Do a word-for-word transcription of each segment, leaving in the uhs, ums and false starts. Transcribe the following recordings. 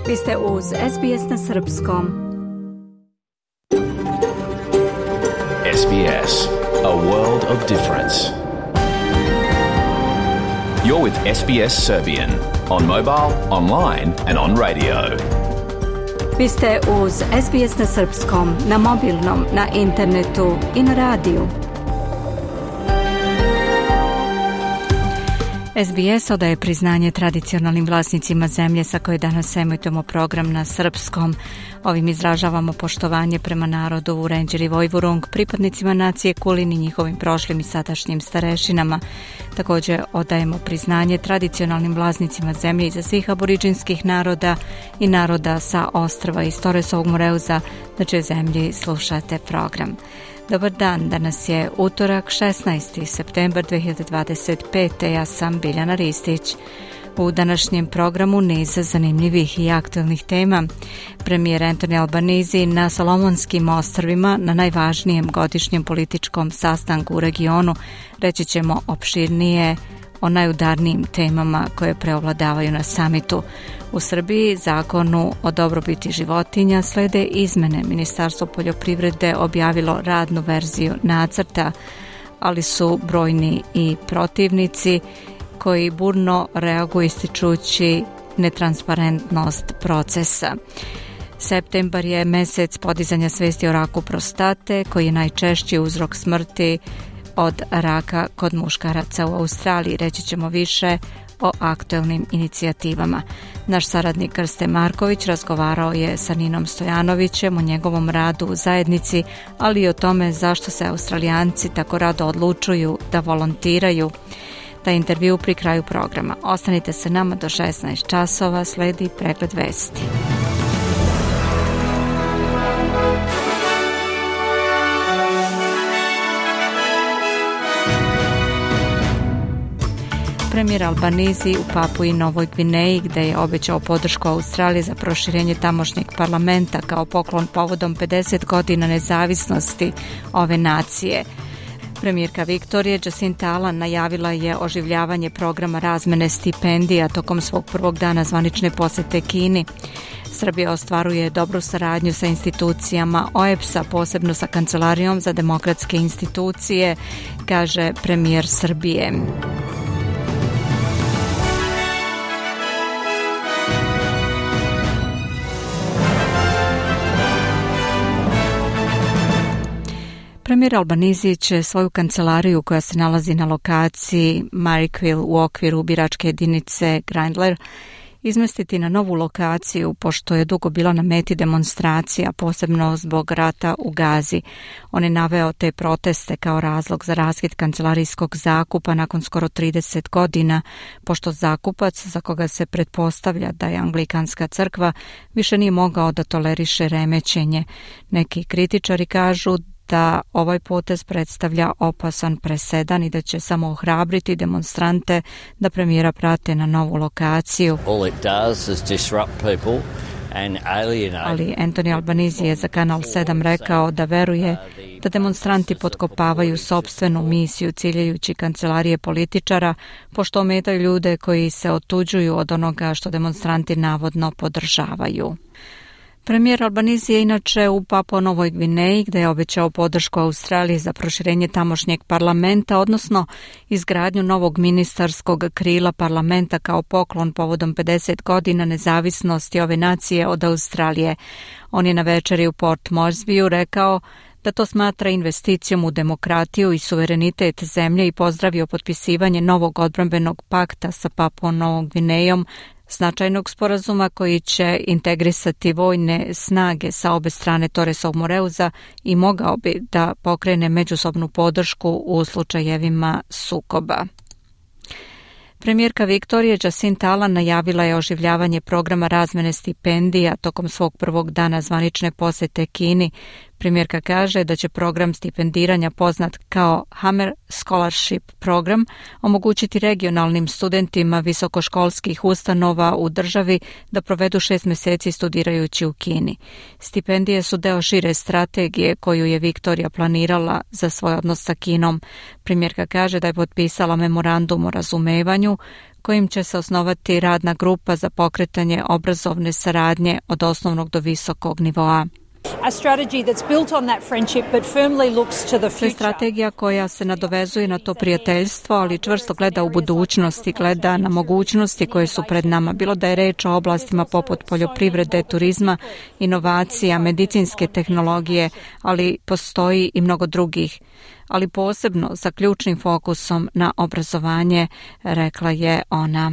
Vi ste uz S B S na srpskom. S B S, a world of difference. You're with S B S Serbian on mobile, online and on radio. Vi ste uz S B S na srpskom, na mobilnom, na internetu i na radiju. S B S odaje priznanje tradicionalnim vlasnicima zemlje sa koje danas emitujemo program na srpskom. Ovim izražavamo poštovanje prema narodu Vurenđer i Vojvurung, pripadnicima nacije Kulin i njihovim prošlim i sadašnjim starešinama. Također odajemo priznanje tradicionalnim vlasnicima zemlje iza svih aboriđinskih naroda i naroda sa ostrva iz Toresovog Moreuza, na čijoj zemlji slušate program. Dobar dan, danas je utorak šesnaesti septembar dve hiljade dvadeset pete. Ja sam Biljana Ristić. U današnjem programu niz zanimljivih i aktualnih tema. Premijer Anthony Albanese na Solomonskim ostrvima na najvažnijem godišnjem političkom sastanku u regionu. Reći ćemo opširnije o najudarnijim temama koje preovladavaju na samitu. U Srbiji zakonu o dobrobiti životinja slede izmene. Ministarstvo poljoprivrede objavilo radnu verziju nacrta, ali su brojni i protivnici koji burno reaguju ističući netransparentnost procesa. Septembar je mesec podizanja svesti o raku prostate, koji je najčešći uzrok smrti od raka kod muškaraca u Australiji. Reći ćemo više o aktualnim inicijativama. Naš saradnik Krste Marković razgovarao je sa Ninom Stojanovićem o njegovom radu u zajednici, ali i o tome zašto se Australijanci tako rado odlučuju da volontiraju. Taj intervju pri kraju programa. Ostanite se nama do šesnaest časova, sledi pregled vesti. Premijer Albanese u Papui Novoj Gvineji, gde je obećao podršku Australiji za proširenje tamošnjeg parlamenta kao poklon povodom pedeset godina nezavisnosti ove nacije. Premijerka Viktorije Jacinta Allan najavila je oživljavanje programa razmene stipendija tokom svog prvog dana zvanične posete Kini. Srbija ostvaruje dobru saradnju sa institucijama O E B S-a, posebno sa Kancelarijom za demokratske institucije, kaže premijer Srbije. Premijer Albanese će svoju kancelariju koja se nalazi na lokaciji Marrickville u okviru biračke jedinice Grindler izmestiti na novu lokaciju, pošto je dugo bila na meti demonstracija, posebno zbog rata u Gazi. On je naveo te proteste kao razlog za raskid kancelarijskog zakupa nakon skoro trideset godina, pošto zakupac, za koga se pretpostavlja da je Anglikanska crkva, više nije mogao da toleriše remećenje. Neki kritičari kažu da ovaj potez predstavlja opasan presedan i da će samo ohrabriti demonstrante da premijera prate na novu lokaciju. Ali Anthony Albanese je za Kanal sedam rekao da veruje da demonstranti potkopavaju sopstvenu misiju ciljajući kancelarije političara, pošto ometaju ljude koji se otuđuju od onoga što demonstranti navodno podržavaju. Premijer Albanese je inače u Papua Novoj Gvineji, gde je obećao podršku Australiji za proširenje tamošnjeg parlamenta, odnosno izgradnju novog ministarskog krila parlamenta kao poklon povodom pedeset godina nezavisnosti ove nacije od Australije. On je na večeri u Port Moresbyu rekao da to smatra investicijom u demokratiju i suverenitet zemlje i pozdravio potpisivanje novog odbrambenog pakta sa Papuom Novom Gvinejom, značajnog sporazuma koji će integrisati vojne snage sa obe strane Toresovog Moreuza i mogao bi da pokrene međusobnu podršku u slučajevima sukoba. Premijerka Viktorije Jacinta Allan najavila je oživljavanje programa razmene stipendija tokom svog prvog dana zvanične posete Kini. Premijerka kaže da će program stipendiranja poznat kao Hammer Scholarship program omogućiti regionalnim studentima visokoškolskih ustanova u državi da provedu šest mjeseci studirajući u Kini. Stipendije su deo šire strategije koju je Viktorija planirala za svoj odnos sa Kinom. Premijerka kaže da je potpisala memorandum o razumevanju kojim će se osnovati radna grupa za pokretanje obrazovne saradnje od osnovnog do visokog nivoa. To je strategija koja se nadovezuje na to prijateljstvo, ali čvrsto gleda u budućnost i gleda na mogućnosti koje su pred nama, bilo da je reč o oblastima poput poljoprivrede, turizma, inovacija, medicinske tehnologije, ali postoji i mnogo drugih, ali posebno sa ključnim fokusom na obrazovanje, rekla je ona.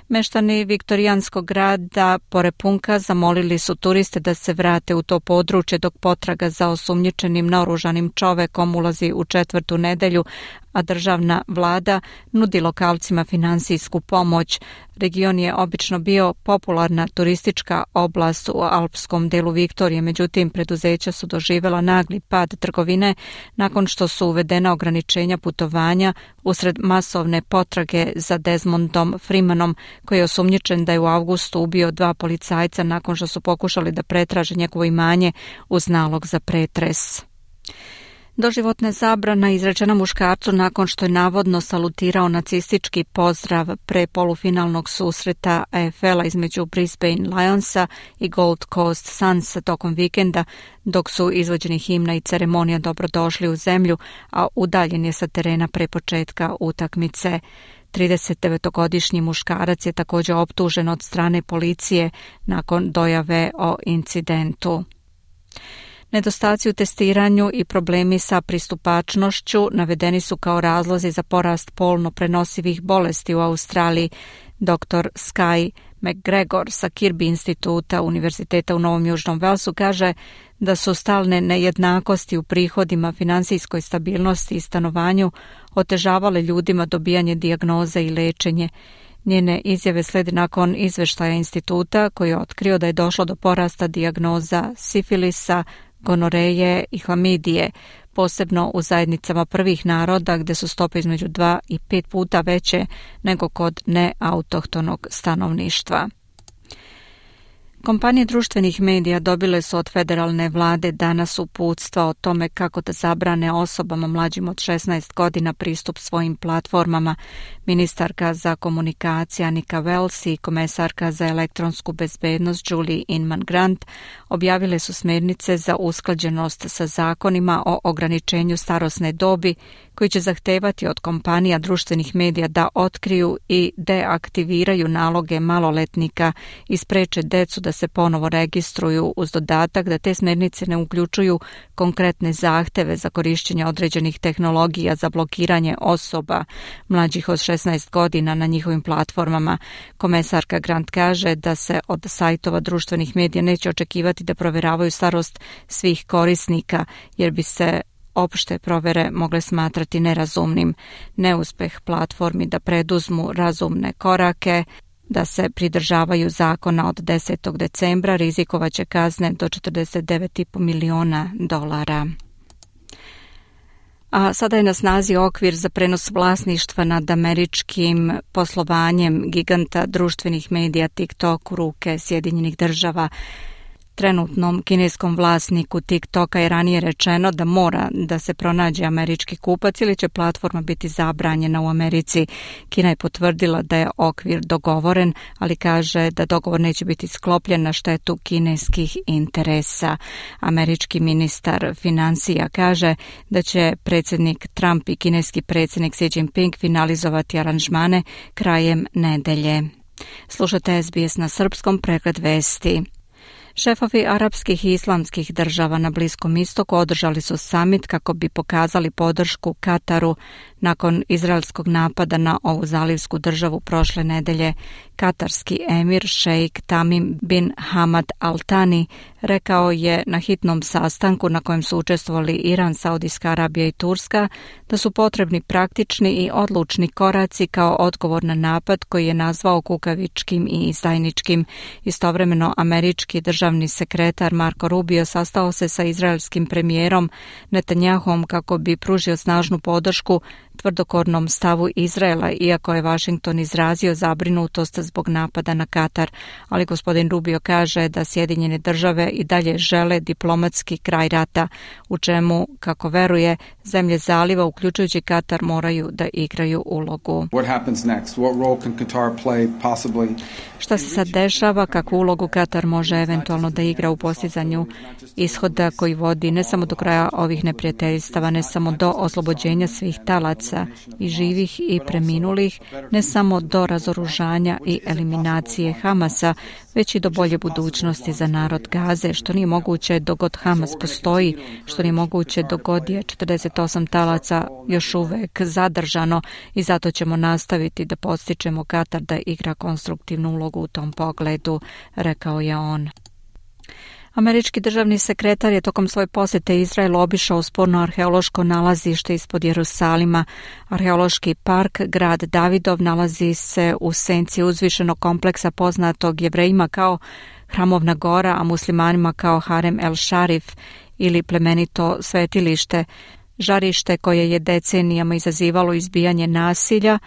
Meštani viktorijanskog grada Porepunka zamolili su turiste da se vrate u to područje dok potraga za osumnjičenim naoružanim čovekom ulazi u četvrtu nedelju, a državna vlada nudi lokalcima finansijsku pomoć. Region je obično bio popularna turistička oblast u alpskom delu Viktorije, međutim preduzeća su doživjela nagli pad trgovine nakon što su uvedena ograničenja putovanja usred masovne potrage za Desmondom Freemanom, koji je osumnjičen da je u avgustu ubio dva policajca nakon što su pokušali da pretraže njegovo imanje uz nalog za pretres. Doživotna zabrana izrečena muškarcu nakon što je navodno salutirao nacistički pozdrav pre polufinalnog susreta A F L-a između Brisbane Lionsa i Gold Coast Sunsa tokom vikenda, dok su izvođeni himna i ceremonija dobrodošli u zemlju, a udaljen je sa terena pre početka utakmice. tridesetdevetogodišnji muškarac je također optužen od strane policije nakon dojave o incidentu. Nedostaci u testiranju i problemi sa pristupačnošću navedeni su kao razlozi za porast polno prenosivih bolesti u Australiji. Doktor Sky McGregor sa Kirby instituta Univerziteta u Novom Južnom Velsu kaže da su stalne nejednakosti u prihodima, finansijskoj stabilnosti i stanovanju otežavale ljudima dobijanje dijagnoze i lečenje. Njene izjave slede nakon izveštaja instituta koji je otkrio da je došlo do porasta dijagnoza sifilisa, gonoreje i hlamidije, posebno u zajednicama prvih naroda gdje su stope između dva i pet puta veće nego kod neautohtonog stanovništva. Kompanije društvenih medija dobile su od federalne vlade danas uputstva o tome kako da zabrane osobama mlađim od šesnaest godina pristup svojim platformama. Ministarka za komunikacije Annika Wells i komesarka za elektronsku bezbednost Julie Inman Grant objavile su smjernice za usklađenost sa zakonima o ograničenju starosne dobi koji će zahtevati od kompanija društvenih medija da otkriju i deaktiviraju naloge maloletnika i spreče decu da se ponovo registruju, uz dodatak da te smjernice ne uključuju konkretne zahteve za korištenje određenih tehnologija za blokiranje osoba mlađih od šesnaest godina na njihovim platformama. Komesarka Grant kaže da se od sajtova društvenih medija neće očekivati da provjeravaju starost svih korisnika, jer bi se opšte provere mogle smatrati nerazumnim. Neuspeh platformi da preduzmu razumne korake, da se pridržavaju zakona od desetog decembra, rizikovaće kazne do četrdeset devet zarez pet miliona dolara. A sada je na snazi okvir za prenos vlasništva nad američkim poslovanjem giganta društvenih medija TikTok u ruke Sjedinjenih država. Trenutnom kineskom vlasniku TikToka je ranije rečeno da mora da se pronađe američki kupac ili će platforma biti zabranjena u Americi. Kina je potvrdila da je okvir dogovoren, ali kaže da dogovor neće biti sklopljen na štetu kineskih interesa. Američki ministar financija kaže da će predsjednik Trump i kineski predsjednik Xi Jinping finalizovati aranžmane krajem nedelje. Slušate S B S na srpskom, pregled vesti. Šefovi arapskih i islamskih država na Bliskom istoku održali su samit kako bi pokazali podršku Kataru nakon izraelskog napada na ovu zalivsku državu prošle nedelje. Katarski emir šejk Tamim bin Hamad Al Thani rekao je na hitnom sastanku na kojem su učestvovali Iran, Saudijska Arabija i Turska da su potrebni praktični i odlučni koraci kao odgovor na napad koji je nazvao kukavičkim i izdajničkim. Istovremeno, američki državni sekretar Marco Rubio sastao se sa izraelskim premijerom Netanyahom kako bi pružio snažnu podršku tvrdokornom stavu Izraela, iako je Washington izrazio zabrinutost zbog napada na Katar. Ali gospodin Rubio kaže da Sjedinjene države i dalje žele diplomatski kraj rata, u čemu, kako veruje, zemlje zaliva, uključujući Katar, moraju da igraju ulogu. Šta se sad dešava, kakvu ulogu Katar može eventualno da igra u postizanju ishoda koji vodi ne samo do kraja ovih neprijateljstava, ne samo do oslobođenja svih talaca i živih i preminulih, ne samo do razoružanja i eliminacije Hamasa, već i do bolje budućnosti za narod Gaze, što nije moguće dok god Hamas postoji, što nije moguće dok god je četrdeset osam talaca još uvek zadržano, i zato ćemo nastaviti da podstičemo Katar da igra konstruktivnu ulogu u tom pogledu, rekao je on. Američki državni sekretar je tokom svoje posete Izraelu obišao sporno arheološko nalazište ispod Jerusalima. Arheološki park Grad Davidov nalazi se u senci uzvišenog kompleksa poznatog Jevrejima kao Hramovna gora, a muslimanima kao Harem el Sharif ili plemenito svetilište, žarište koje je decenijama izazivalo izbijanje nasilja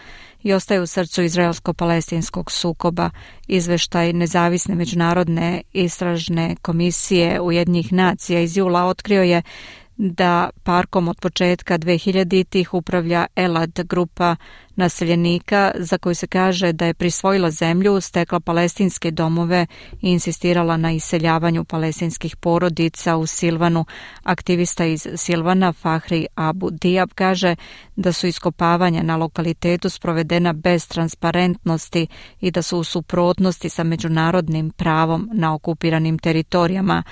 i ostaje u srcu izraelsko-palestinskog sukoba. Izveštaj nezavisne međunarodne istražne komisije Ujedinjenih nacija iz jula otkrio je da parkom od početka dvehiljaditih upravlja Elad, grupa naseljenika za koju se kaže da je prisvojila zemlju, stekla palestinske domove i insistirala na iseljavanju palestinskih porodica u Silvanu. Aktivista iz Silvana Fahri Abu Diab kaže da su iskopavanja na lokalitetu sprovedena bez transparentnosti i da su u suprotnosti sa međunarodnim pravom na okupiranim teritorijama.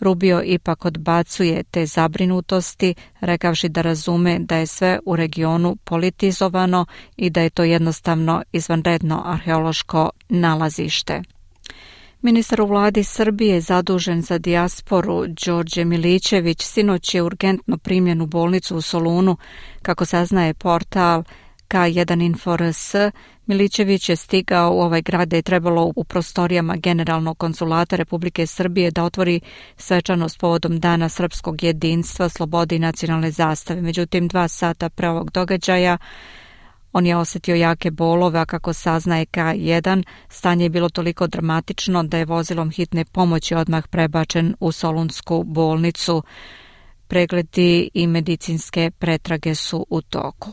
Rubio ipak odbacuje te zabrinutosti, rekavši da razume da je sve u regionu politizovano i da je to jednostavno izvanredno arheološko nalazište. Ministar u vladi Srbije zadužen za dijasporu Đorđe Milićević sinoć je urgentno primljen u bolnicu u Solunu, kako saznaje portal K jedan info R S. Milićević je stigao u ovaj grad da je trebalo u prostorijama Generalnog konzulata Republike Srbije da otvori svečanost povodom Dana srpskog jedinstva, slobode i nacionalne zastave. Međutim, dva sata pre ovog događaja on je osjetio jake bolove, a kako saznaje K jedan, stanje je bilo toliko dramatično da je vozilom hitne pomoći odmah prebačen u Solunsku bolnicu. Pregledi i medicinske pretrage su u toku.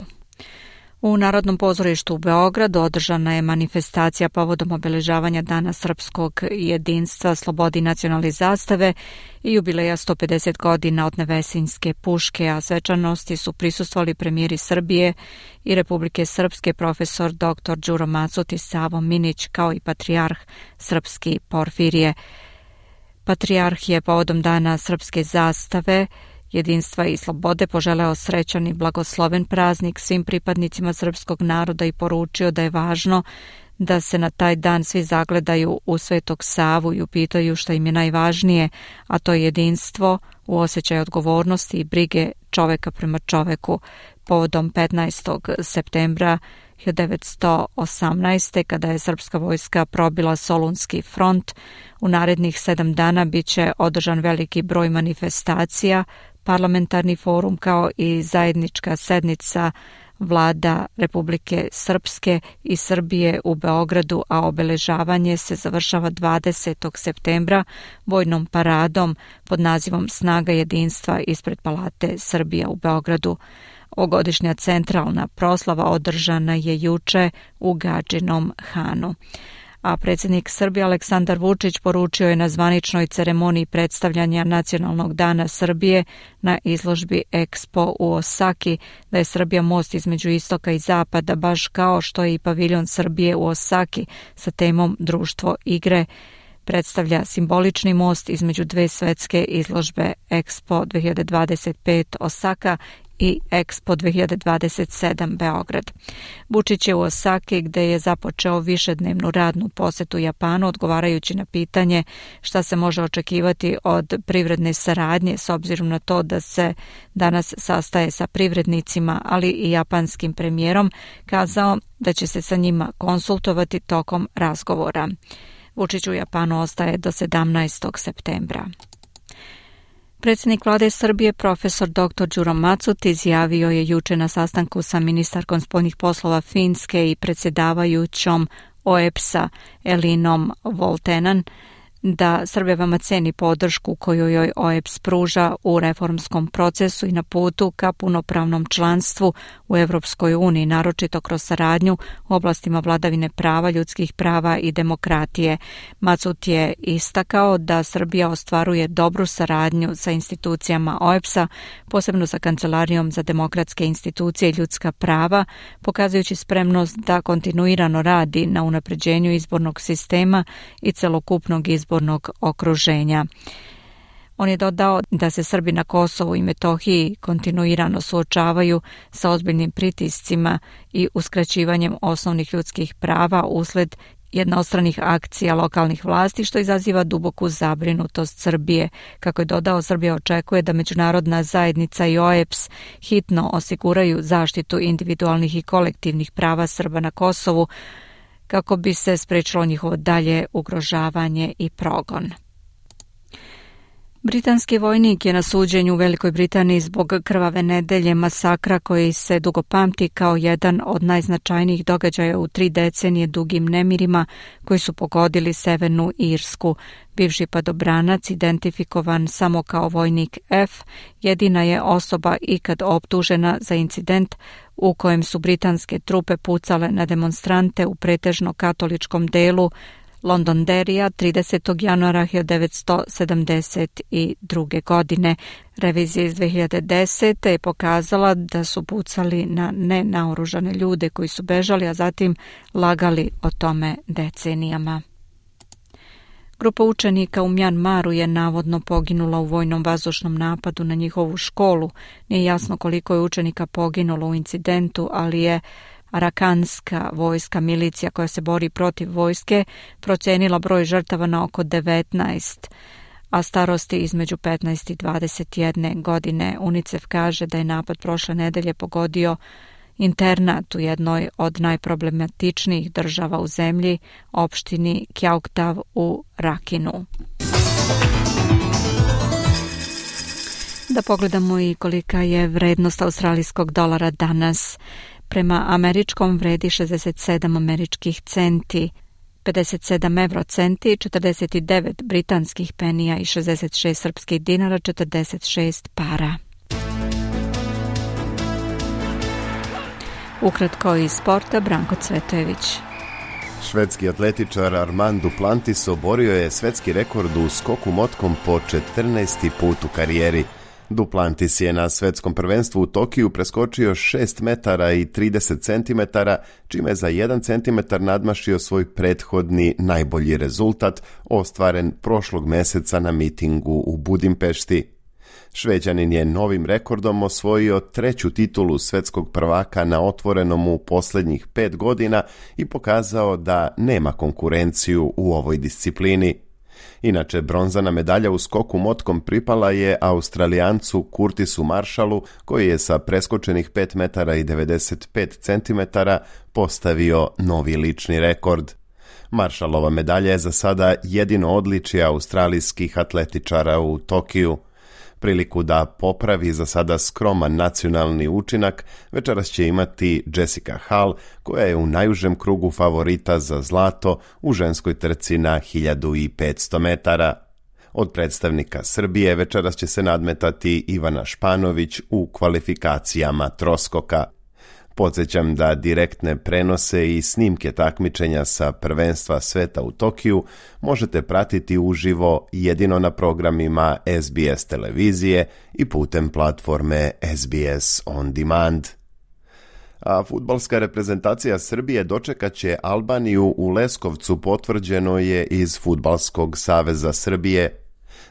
U Narodnom pozorištu u Beogradu održana je manifestacija povodom obeležavanja Dana srpskog jedinstva, slobode i nacionalne zastave i jubileja sto pedeset godina od Nevesinjske puške, a svečanosti su prisustvovali premijeri Srbije i Republike Srpske profesor doktor Đuro Macut i Savo Minić, kao i patrijarh srpski Porfirije. Patrijarh je povodom Dana srpske zastave, jedinstva i slobode poželeo srećan i blagosloven praznik svim pripadnicima srpskog naroda i poručio da je važno da se na taj dan svi zagledaju u Svetog Savu i upitaju šta im je najvažnije, a to je jedinstvo u osjećaju odgovornosti i brige čoveka prema čoveku. Povodom petnaestog septembra hiljadu devetsto osamnaeste. kada je srpska vojska probila Solunski front, u narednih sedam dana bit će održan veliki broj manifestacija, parlamentarni forum kao i zajednička sednica vlada Republike Srpske i Srbije u Beogradu, a obeležavanje se završava dvadesetog septembra vojnom paradom pod nazivom Snaga jedinstva ispred Palate Srbija u Beogradu. Ovogodišnja centralna proslava održana je juče u Gadžinom Hanu. A predsjednik Srbije Aleksandar Vučić poručio je na zvaničnoj ceremoniji predstavljanja Nacionalnog dana Srbije na izložbi Expo u Osaki da je Srbija most između istoka i zapada, baš kao što je i paviljon Srbije u Osaki sa temom Društvo igre. Predstavlja simbolični most između dve svetske izložbe Expo dve hiljade dvadeset pet Osaka i Expo dve hiljade dvadeset sedam Beograd. Vučić je u Osaki gde je započeo višednevnu radnu posetu Japanu odgovarajući na pitanje šta se može očekivati od privredne saradnje s obzirom na to da se danas sastaje sa privrednicima, ali i japanskim premijerom, kazao da će se sa njima konsultovati tokom razgovora. Vučić u Japanu ostaje do sedamnaestog septembra. Predsjednik vlade Srbije, profesor doktor Đuro Macut, izjavio je juče na sastanku sa ministarkom spoljnih poslova Finske i predsjedavajućom O E B S-a Elinom Voltenan da Srbija veoma ceni podršku koju joj O E B S pruža u reformskom procesu i na putu ka punopravnom članstvu u Evropskoj uniji, naročito kroz saradnju u oblastima vladavine prava, ljudskih prava i demokratije. Macut je istakao da Srbija ostvaruje dobru saradnju sa institucijama O E B S-a, posebno sa Kancelarijom za demokratske institucije i ljudska prava, pokazujući spremnost da kontinuirano radi na unapređenju izbornog sistema i celokupnog izbornog okruženja. On je dodao da se Srbi na Kosovu i Metohiji kontinuirano suočavaju sa ozbiljnim pritiscima i uskraćivanjem osnovnih ljudskih prava usled jednostranih akcija lokalnih vlasti, što izaziva duboku zabrinutost Srbije. Kako je dodao, Srbija očekuje da međunarodna zajednica i O E B S hitno osiguraju zaštitu individualnih i kolektivnih prava Srba na Kosovu, kako bi se sprečilo njihovo dalje ugrožavanje i progon. Britanski vojnik je na suđenju u Velikoj Britaniji zbog krvave nedelje, masakra koji se dugo pamti kao jedan od najznačajnijih događaja u tri decenije dugim nemirima koji su pogodili Severnu Irsku. Bivši padobranac, identifikovan samo kao vojnik F, jedina je osoba ikad optužena za incident u kojem su britanske trupe pucale na demonstrante u pretežno katoličkom delu Londonderrya tridesetog januara hiljadu devetsto sedamdeset druge. godine. Revizija iz dve hiljade desete. je pokazala da su pucali na nenaoružane ljude koji su bežali, a zatim lagali o tome decenijama. Grupa učenika u Mjanmaru je navodno poginula u vojnom vazdušnom napadu na njihovu školu. Nije jasno koliko je učenika poginulo u incidentu, ali je Arakanska vojska, milicija koja se bori protiv vojske, procenila broj žrtava na oko devetnaest, a starosti između petnaest i dvadeset jedne godine. UNICEF kaže da je napad prošle nedelje pogodio internat u jednoj od najproblematičnijih država u zemlji, opštini Kyauktav u Rakinu. Da pogledamo i kolika je vrednost australijskog dolara danas. Prema američkom vredi šezdeset sedam američkih centi, pedeset sedam evrocenti, četrdeset devet britanskih penija i šezdeset šest srpskih dinara, četrdeset šest para. Ukratko iz sporta, Branko Cvetojević. Švedski atletičar Armand Duplantis oborio je svetski rekord u skoku motkom po četrnaesti put u karijeri. Duplantis je na svetskom prvenstvu u Tokiju preskočio šest metara i trideset centimetara, čime je za jedan centimetar nadmašio svoj prethodni najbolji rezultat, ostvaren prošlog meseca na mitingu u Budimpešti. Šveđanin je novim rekordom osvojio treću titulu svetskog prvaka na otvorenom u posljednjih pet godina i pokazao da nema konkurenciju u ovoj disciplini. Inače, bronzana medalja u skoku motkom pripala je Australijancu Curtisu Marshallu, koji je sa preskočenih pet metara i devedeset pet centimetara postavio novi lični rekord. Marshallova medalja je za sada jedino odličje australijskih atletičara u Tokiju. Priliku da popravi za sada skroman nacionalni učinak večeras će imati Jessica Hall, koja je u najužem krugu favorita za zlato u ženskoj trci na hiljadu petsto metara. Od predstavnika Srbije večeras će se nadmetati Ivana Španović u kvalifikacijama troskoka. Podsjećam da direktne prenose i snimke takmičenja sa prvenstva sveta u Tokiju možete pratiti uživo jedino na programima S B S televizije i putem platforme S B S On Demand. A fudbalska reprezentacija Srbije dočekat će Albaniju u Leskovcu, potvrđeno je iz Fudbalskog saveza Srbije.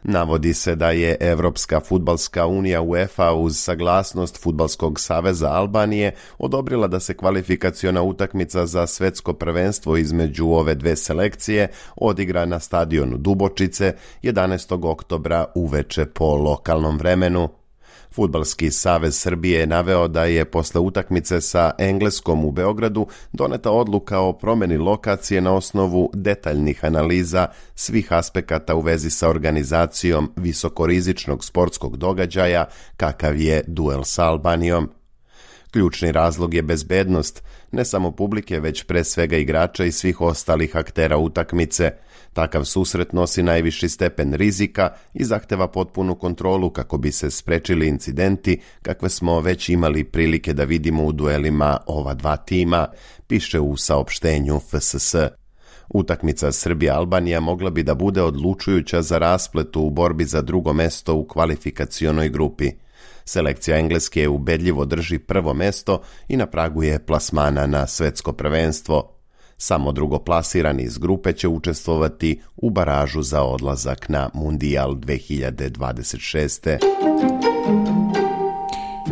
Navodi se da je Evropska fudbalska unija UEFA uz saglasnost Fudbalskog saveza Albanije odobrila da se kvalifikaciona utakmica za svetsko prvenstvo između ove dve selekcije odigra na stadionu Dubočice jedanaestog oktobra uveče po lokalnom vremenu. Fudbalski savez Srbije je naveo da je posle utakmice sa Engleskom u Beogradu doneta odluka o promjeni lokacije na osnovu detaljnih analiza svih aspekata u vezi sa organizacijom visokorizičnog sportskog događaja kakav je duel sa Albanijom. Ključni razlog je bezbednost, ne samo publike, već pre svega igrača i svih ostalih aktera utakmice. Takav susret nosi najviši stepen rizika i zahteva potpunu kontrolu kako bi se sprečili incidenti kakve smo već imali prilike da vidimo u duelima ova dva tima, piše u saopštenju F S S. Utakmica Srbija-Albanija mogla bi da bude odlučujuća za raspletu u borbi za drugo mesto u kvalifikacionoj grupi. Selekcija Engleske ubedljivo drži prvo mesto i na pragu je plasmana na svetsko prvenstvo. Samo drugoplasirani iz grupe će učestvovati u baražu za odlazak na Mundijal dve hiljade dvadeset šeste.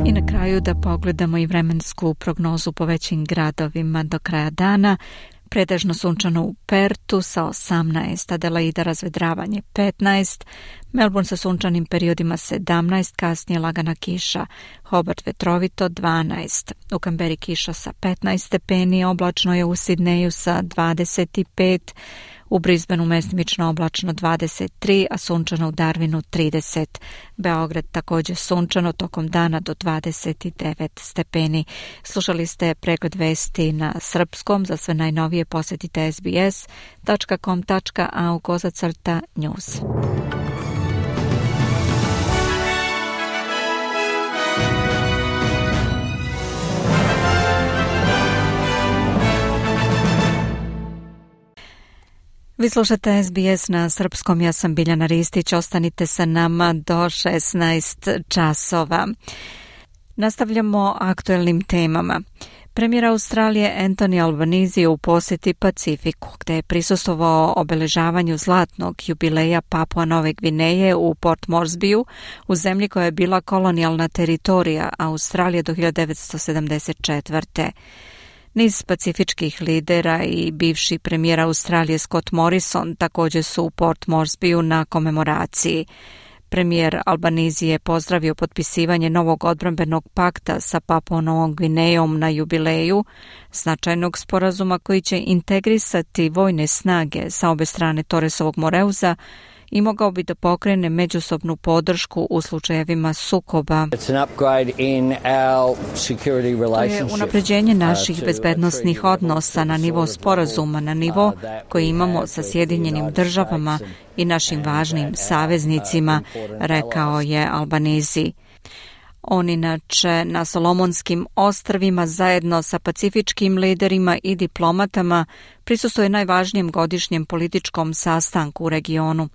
I na kraju da pogledamo i vremensku prognozu po većim gradovima do kraja dana. Pretežno sunčano u Pertu sa osamnaest, Adelaida razvedravanje petnaest, Melbourne sa sunčanim periodima sedamnaest, kasnije lagana kiša, Hobart vetrovito dvanaest, u Kamberi kiša sa petnaest stepeni, oblačno je u Sidneju sa dvadeset pet, u Brisbaneu mestimično oblačno dvadeset tri, a sunčano u Darwinu trideset. Beograd također sunčano tokom dana do dvadeset devet stepeni. Slušali ste pregled vesti na srpskom. Za sve najnovije posjetite es be es tačka com tačka a u kozacrta news. Vi slušate es be es na srpskom, ja sam Biljana Ristić, ostanite sa nama do šesnaest časova. Nastavljamo aktuelnim temama. Premijer Australije Anthony Albanese je u posjeti Pacifiku, gde je prisustvovao obeležavanju zlatnog jubileja Papua Nove Gvineje u Port Moresbyu, u zemlji koja je bila kolonijalna teritorija Australije do hiljadu devetsto sedamdeset četvrte. Niz pacifičkih lidera i bivši premijer Australije Scott Morrison također su u Port Moresbyu na komemoraciji. Premijer Albanese je pozdravio potpisivanje novog odbrambenog pakta sa Papuom Novom Gvinejom na jubileju, značajnog sporazuma koji će integrisati vojne snage sa obe strane Torresovog Moreuza i mogao bi da pokrene međusobnu podršku u slučajevima sukoba. To je unapređenje naših bezbednosnih odnosa na nivo sporazuma, na nivo koji imamo sa Sjedinjenim državama i našim važnim saveznicima, rekao je Albanese. On inače na Solomonskim ostrvima zajedno sa pacifičkim liderima i diplomatama prisustvuje najvažnijem godišnjem političkom sastanku u regionu.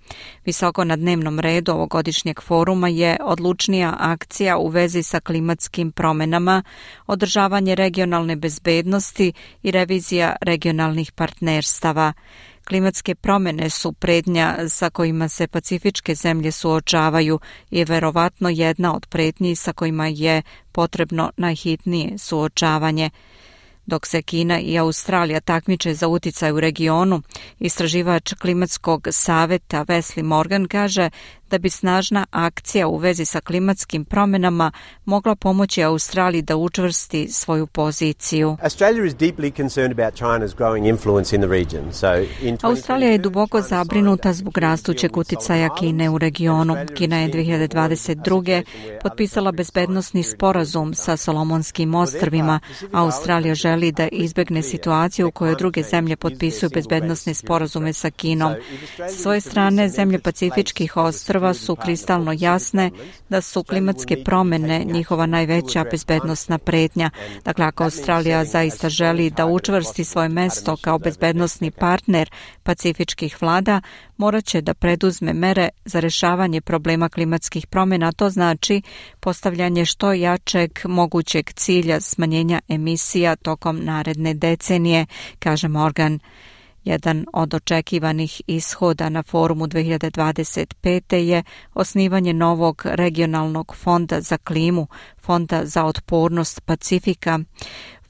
Visoko na dnevnom redu ovogodišnjeg foruma je odlučnija akcija u vezi sa klimatskim promjenama, održavanje regionalne bezbednosti i revizija regionalnih partnerstava. Klimatske promjene su prednja sa kojima se pacifičke zemlje suočavaju i je verovatno jedna od prednji sa kojima je potrebno najhitnije suočavanje. Dok se Kina i Australija takmiče za uticaj u regionu, istraživač klimatskog saveta Wesley Morgan kaže da bi snažna akcija u vezi sa klimatskim promjenama mogla pomoći Australiji da učvrsti svoju poziciju. Australija je duboko zabrinuta zbog rastućeg uticaja Kine u regionu. Kina je dve hiljade dvadeset druge. potpisala bezbednosni sporazum sa Solomonskim ostrvima. Australija želi da izbegne situaciju u kojoj druge zemlje potpisuju bezbednosne sporazume sa Kinom. Sa svoje strane, zemlje Pacifičkih ostrva su kristalno jasne da su klimatske promjene njihova najveća bezbednosna pretnja. Dakle, ako Australija zaista želi da učvrsti svoje mesto kao bezbednosni partner pacifičkih vlada, morat će da preduzme mere za rješavanje problema klimatskih promjena. To znači postavljanje što jačeg mogućeg cilja smanjenja emisija tokom naredne decenije, kaže Morgan. Jedan od očekivanih ishoda na forumu dve hiljade dvadeset pete. je osnivanje novog regionalnog fonda za klimu, fonda za otpornost Pacifika,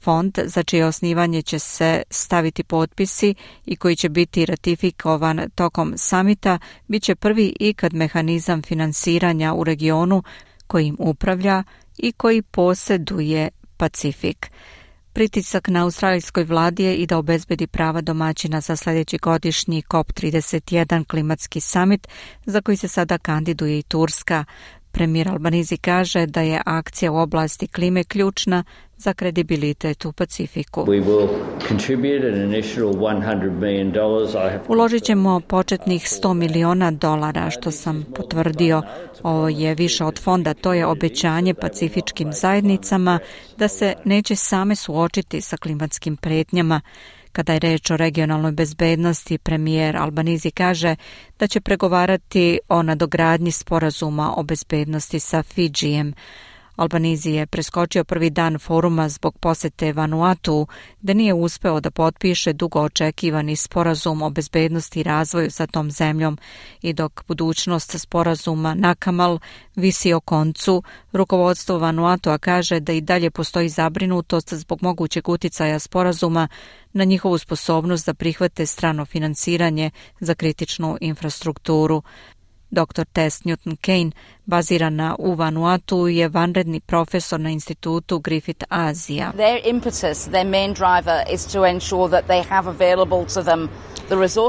fond za čije osnivanje će se staviti potpisi i koji će biti ratifikovan tokom samita, bit će prvi ikad mehanizam finansiranja u regionu kojim upravlja i koji posjeduje Pacifik. Pritisak na australijskoj vladi je i da obezbedi prava domaćina za sljedeći godišnji C O P trideset jedan klimatski summit za koji se sada kandiduje i Turska. Premijer Albanizi kaže da je akcija u oblasti klime ključna za kredibilitet u Pacifiku. Uložit ćemo početnih sto miliona dolara, što sam potvrdio. Ovo je više od fonda, to je obećanje pacifičkim zajednicama da se neće same suočiti sa klimatskim pretnjama. Kada je reč o regionalnoj bezbednosti, premijer Albanizi kaže da će pregovarati o nadogradnji sporazuma o bezbednosti sa Fidžijem. Albanizi je preskočio prvi dan foruma zbog posete Vanuatu, gde nije uspeo da potpiše dugo očekivani sporazum o bezbednosti i razvoju sa tom zemljom i dok budućnost sporazuma Nakamal visi o koncu, rukovodstvo Vanuatua kaže da i dalje postoji zabrinutost zbog mogućeg uticaja sporazuma na njihovu sposobnost da prihvate strano finansiranje za kritičnu infrastrukturu. doktor Tess Newton-Kane, bazirana u Vanuatu, je vanredni profesor na institutu Griffith Azija.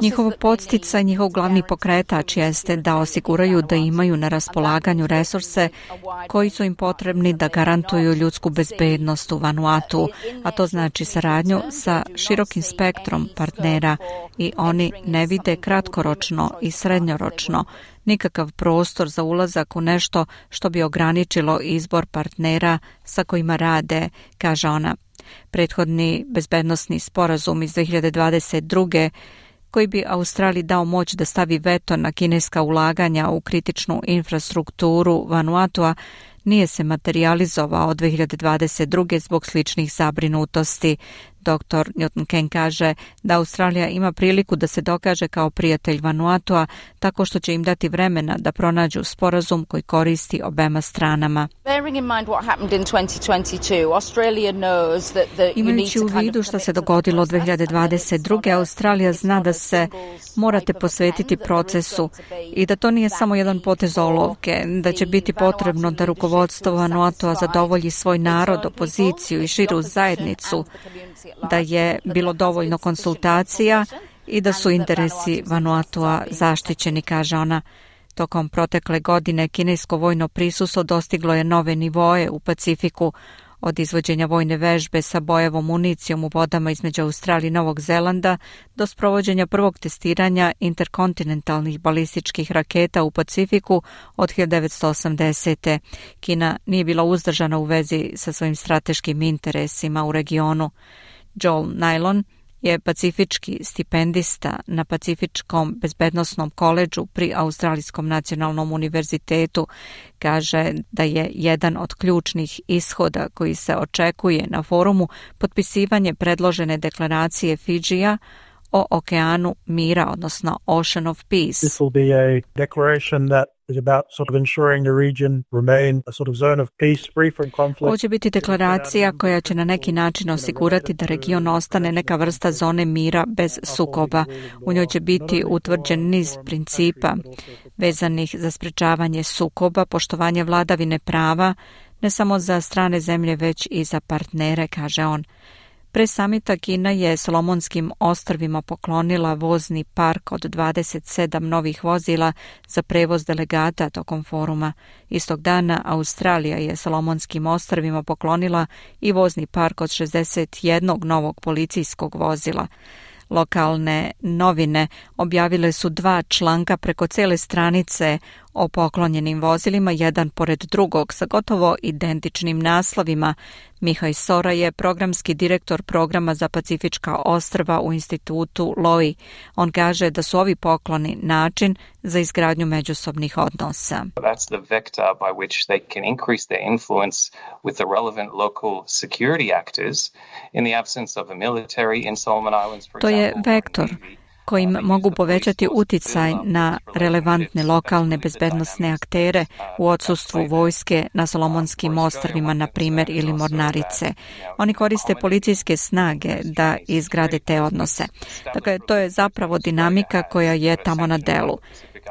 Njihov podsticaj, njihov glavni pokretač jeste da osiguraju da imaju na raspolaganju resurse koji su im potrebni da garantuju ljudsku bezbednost u Vanuatu, a to znači saradnju sa širokim spektrom partnera i oni ne vide kratkoročno i srednjoročno nikakav prostor za ulazak u nešto što bi ograničilo izbor partnera sa kojima rade, kaže ona. Prethodni bezbednosni sporazum iz dve hiljade dvadeset druge koji bi Australiji dao moć da stavi veto na kineska ulaganja u kritičnu infrastrukturu Vanuatua, nije se materializovao od dve hiljade dvadeset druge zbog sličnih zabrinutosti. doktor Newton-Kane kaže da Australija ima priliku da se dokaže kao prijatelj Vanuatua tako što će im dati vremena da pronađu sporazum koji koristi obema stranama. Imajući u vidu što se dogodilo dve hiljade dvadeset druge. Australija zna da se morate posvetiti procesu i da to nije samo jedan potez olovke, da će biti potrebno da rukovodstvo Vanuatua zadovolji svoj narod, opoziciju i širu zajednicu, da je bilo dovoljno konsultacija i da su interesi Vanuatua zaštićeni, kaže ona. Tokom protekle godine kinesko vojno prisustvo dostiglo je nove nivoe u Pacifiku, od izvođenja vojne vežbe sa bojevom municijom u vodama između Australije i Novog Zelanda do sprovođenja prvog testiranja interkontinentalnih balističkih raketa u Pacifiku od hiljadu devetsto osamdesete. Kina nije bila uzdržana u vezi sa svojim strateškim interesima u regionu. Joel Nylon je pacifički stipendista na Pacifičkom bezbednosnom koledžu pri Australijskom nacionalnom univerzitetu. Kaže da je jedan od ključnih ishoda koji se očekuje na forumu potpisivanje predložene deklaracije Fidžija o okeanu mira, odnosno Ocean of Peace. This will be a declaration that is about sort of ensuring the region remain a sort of zone of peace, free from conflict. Ovo će biti deklaracija koja će na neki način osigurati da region ostane neka vrsta zone mira bez sukoba. U njoj će biti utvrđen niz principa vezanih za sprečavanje sukoba, poštovanje vladavine prava, ne samo za strane zemlje, već i za partnere, kaže on. Pre samita Kina je Solomonskim ostrvima poklonila vozni park od dvadeset sedam novih vozila za prevoz delegata tokom foruma. Istog dana Australija je Solomonskim ostrvima poklonila i vozni park od šezdeset jednog novog policijskog vozila. Lokalne novine objavile su dva članka preko cele stranice o poklonjenim vozilima, jedan pored drugog, sa gotovo identičnim naslovima. Mihaj Sora je programski direktor programa za Pacifička ostrva u institutu Lowy. On kaže da su ovi pokloni način za izgradnju međusobnih odnosa. That's the vector by which they can increase their influence with the relevant local security actors in the absence of a military in Solomon Islands, for To je example. vektor kojim mogu povećati uticaj na relevantne lokalne bezbednosne aktere u odsustvu vojske na Solomonskim ostrvima, na primjer, ili Mornarice. Oni koriste policijske snage da izgrade te odnose. Dakle, to je zapravo dinamika koja je tamo na delu.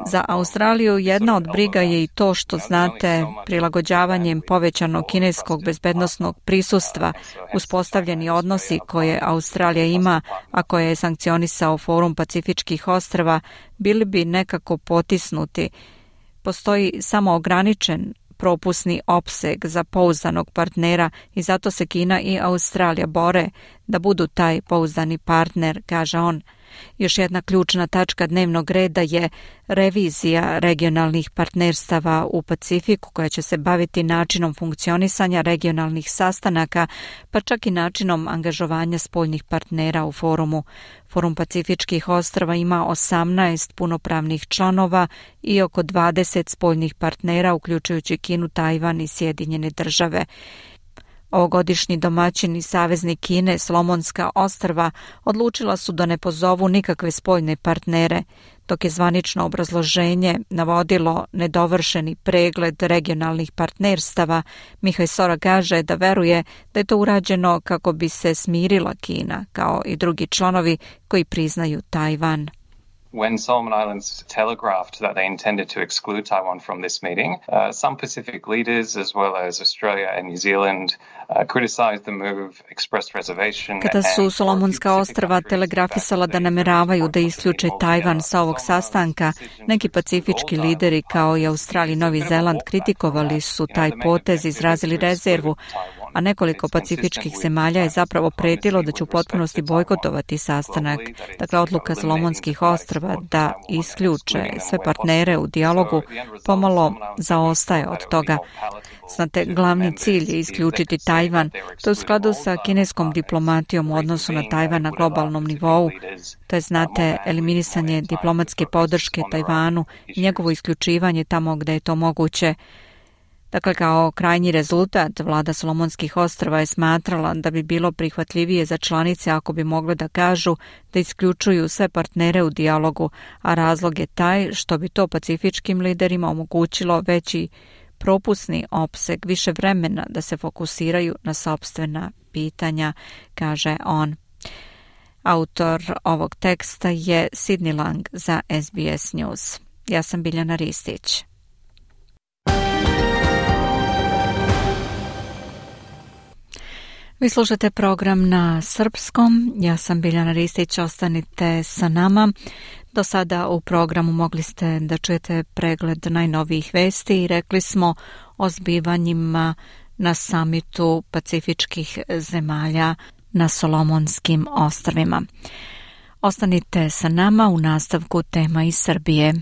Za Australiju jedna od briga je i to što, znate, prilagođavanjem povećanog kineskog bezbednosnog prisustva uspostavljeni odnosi koje Australija ima, a koje je sankcionisao Forum Pacifičkih ostrva, bili bi nekako potisnuti. Postoji samo ograničen propusni opseg za pouzdanog partnera i zato se Kina i Australija bore da budu taj pouzdani partner, kaže on. Još jedna ključna tačka dnevnog reda je revizija regionalnih partnerstava u Pacifiku koja će se baviti načinom funkcionisanja regionalnih sastanaka, pa čak i načinom angažovanja spoljnih partnera u forumu. Forum Pacifičkih ostrva ima osamnaest punopravnih članova i oko dvadeset spoljnih partnera, uključujući Kinu, Tajvan i Sjedinjene države. Ovogodišnji domaćini saveznik Kine, Solomonska ostrva, odlučila su da ne pozovu nikakve spoljne partnere, dok je zvanično obrazloženje navodilo nedovršeni pregled regionalnih partnerstava. Mihaj Sora kaže da veruje da je to urađeno kako bi se smirila Kina, kao i drugi članovi koji priznaju Tajvan. When Solomon Islands telegraphed that they intended to exclude Taiwan from this meeting, uh, some Pacific leaders, as well as Australia and New Zealand, uh, criticized the move, expressed reservation. Kada su Solomonska ostrva telegrafisala da nameravaju da isključe Tajvan sa ovog sastanka, neki pacifički lideri kao i Australija i Novi Zeland kritikovali su taj potez, izrazili rezervu, a nekoliko pacifičkih zemalja je zapravo pretilo da će u potpunosti bojkotovati sastanak. Dakle, odluka Solomonskih ostrva da isključe sve partnere u dijalogu pomalo zaostaje od toga. Znate, glavni cilj je isključiti Tajvan. To je u skladu sa kineskom diplomatijom u odnosu na Tajvan na globalnom nivou. To je, znate, eliminisanje diplomatske podrške Tajvanu i njegovo isključivanje tamo gde je to moguće. Dakle, kao krajnji rezultat, vlada Solomonskih ostrva je smatrala da bi bilo prihvatljivije za članice ako bi mogle da kažu da isključuju sve partnere u dijalogu, a razlog je taj što bi to pacifičkim liderima omogućilo veći propusni opseg, više vremena da se fokusiraju na sopstvena pitanja, kaže on. Autor ovog teksta je Sidney Lang za S B S News. Ja sam Biljana Ristić. Vi slušate program na srpskom, ja sam Biljana Ristić, ostanite sa nama. Do sada u programu mogli ste da čujete pregled najnovijih vesti i rekli smo o zbivanjima na samitu pacifičkih zemalja na Solomonskim ostrvima. Ostanite sa nama, u nastavku tema iz Srbije.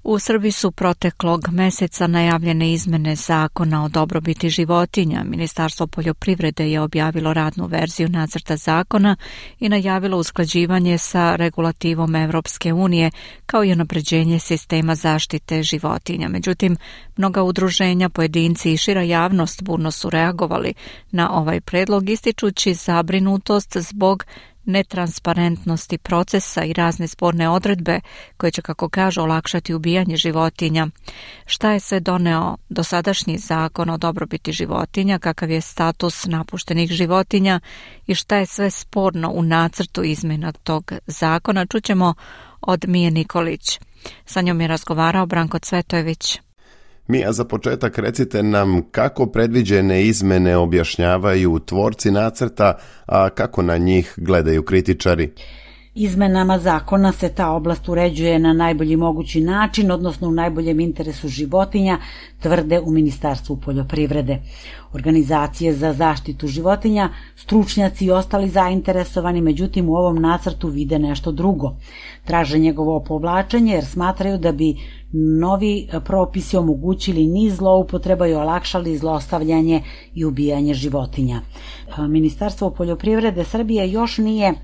U Srbiji su proteklog meseca najavljene izmene zakona o dobrobiti životinja. Ministarstvo poljoprivrede je objavilo radnu verziju nacrta zakona i najavilo usklađivanje sa regulativom Evropske unije, kao i unapređenje sistema zaštite životinja. Međutim, mnoga udruženja, pojedinci i šira javnost burno su reagovali na ovaj predlog, ističući zabrinutost zbog netransparentnosti procesa i razne sporne odredbe koje će, kako kažu, olakšati ubijanje životinja. Šta je sve doneo dosadašnji zakon o dobrobiti životinja, kakav je status napuštenih životinja i šta je sve sporno u nacrtu izmjena tog zakona, čućemo od Mije Nikolić. Sa njom je razgovarao Branko Cvetojević. Mija, za početak recite nam kako predviđene izmene objašnjavaju tvorci nacrta, a kako na njih gledaju kritičari. Izmenama zakona se ta oblast uređuje na najbolji mogući način, odnosno u najboljem interesu životinja, tvrde u Ministarstvu poljoprivrede. Organizacije za zaštitu životinja, stručnjaci i ostali zainteresovani, međutim u ovom nacrtu vide nešto drugo. Traže njegovo povlačenje jer smatraju da bi novi propisi omogućili niz zloupotreba i olakšali zlostavljanje i ubijanje životinja. Ministarstvo poljoprivrede Srbije još nije